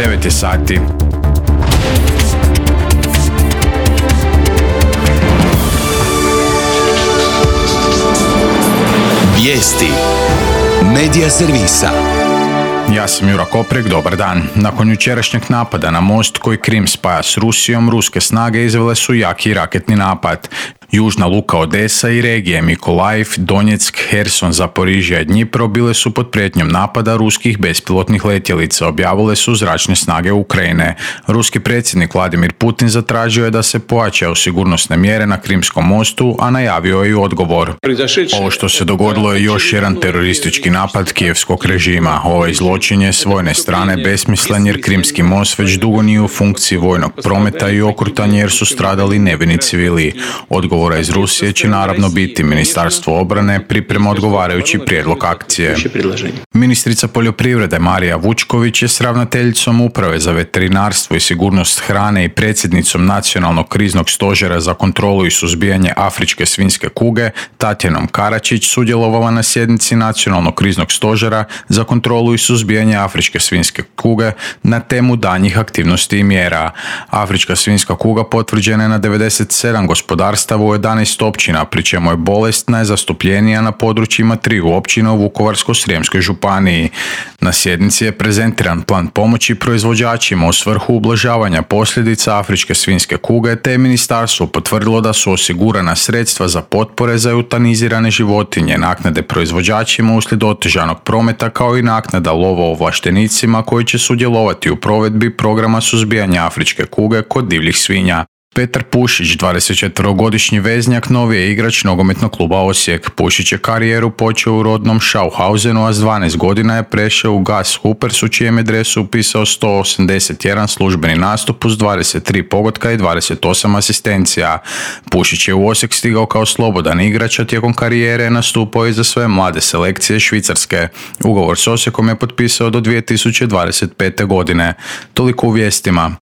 9 je sati. Vijesti Medija servisa. Ja sam Jura Koprek, dobar dan. Nakon jučerašnjeg napada na most koji Krim spaja s Rusijom, ruske snage izvele su jaki raketni napad. Južna luka Odesa i regije Mikolajiv, Donjeck, Herson, Zaporižja i Dnjipro bile su pod prijetnjom napada ruskih bespilotnih letjelica, objavile su zračne snage Ukrajine. Ruski predsjednik Vladimir Putin zatražio je da se pojačaju sigurnosne mjere na Krimskom mostu, a najavio je i odgovor. Ovo što se dogodilo je još jedan teroristički napad kijevskog režima. Ovaj zločin je s vojne strane besmislen jer Krimski most već dugo nije u funkciji vojnog prometa i okrutan jer su stradali nevini civili. Odgovora iz Rusije će naravno biti Ministarstvo obrane priprema odgovarajući prijedlog akcije. Ministrica poljoprivrede Marija Vučković je s ravnateljicom Uprave za veterinarstvo i sigurnost hrane i predsjednicom Nacionalnog kriznog stožera za kontrolu i suzbijanje afričke svinjske kuge Tatjanom Karačić sudjelovala na sjednici Nacionalnog kriznog stožera za kontrolu i suzbijanje afričke svinjske kuge na temu daljnjih aktivnosti i mjera. Afrička svinjska kuga potvrđena je na 97 gospodarstava u 11 općina, pri čemu je bolest najzastupljenija na područjima 3 općina u Vukovarsko-srijemskoj županiji. Na sjednici je prezentiran plan pomoći proizvođačima u svrhu ublažavanja posljedica afričke svinjske kuge, te je ministarstvo potvrdilo da su osigurana sredstva za potpore za eutanizirane životinje, naknade proizvođačima uslijed otežanog prometa, kao i naknada lovoovlaštenicima koji će sudjelovati u provedbi programa suzbijanja afričke kuge kod divljih svinja. Petar Pušić, 24-godišnji veznjak, novi je igrač nogometnog kluba Osijek. Pušić je karijeru počeo u rodnom Schauhausenu, a s 12 godina je prešao u GAS Huppers, u čijem je dresu upisao 181 službeni nastup uz 23 pogotka i 28 asistencija. Pušić je u Osijek stigao kao slobodan igrač, a tijekom karijere je nastupao i za sve mlade selekcije Švicarske. Ugovor s Osijekom je potpisao do 2025. godine. Toliko u vijestima.